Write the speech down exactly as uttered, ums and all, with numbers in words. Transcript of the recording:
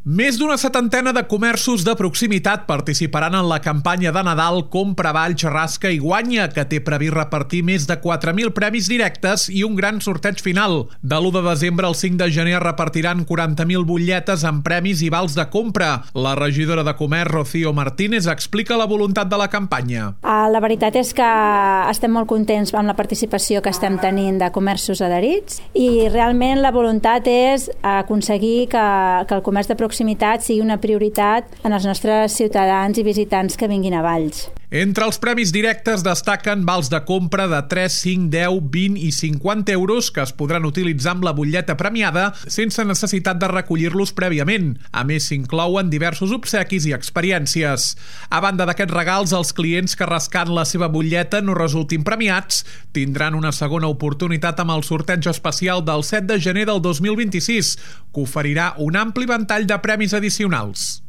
Més d'una setantena de comerços de proximitat participaran en la campanya de Nadal Compra Valls, Rasca i Guanya, que té previst repartir més de quatre mil premis directes i un gran sorteig final. De l'u de desembre al cinc de gener es repartiran quaranta mil butlletes amb premis i vals de compra. La regidora de Comerç, Rocío Martínez, explica la voluntat de la campanya. La veritat és que estem molt contents amb la participació que estem tenint de comerços adherits i realment la voluntat és aconseguir que, que el comerç de proximitat sigui una prioritat en els nostres ciutadans i visitants que vinguin a Valls. Entre els premis directes destaquen vals de compra de tres, cinc, deu, vint i cinquanta euros que es podran utilitzar amb la butlleta premiada sense necessitat de recollir-los prèviament. A més, s'inclouen diversos obsequis i experiències. A banda d'aquests regals, els clients que rascant la seva butlleta no resultin premiats tindran una segona oportunitat amb el sorteig especial del set de gener del dos mil vint-i-sis, que oferirà un ampli ventall de premis addicionals.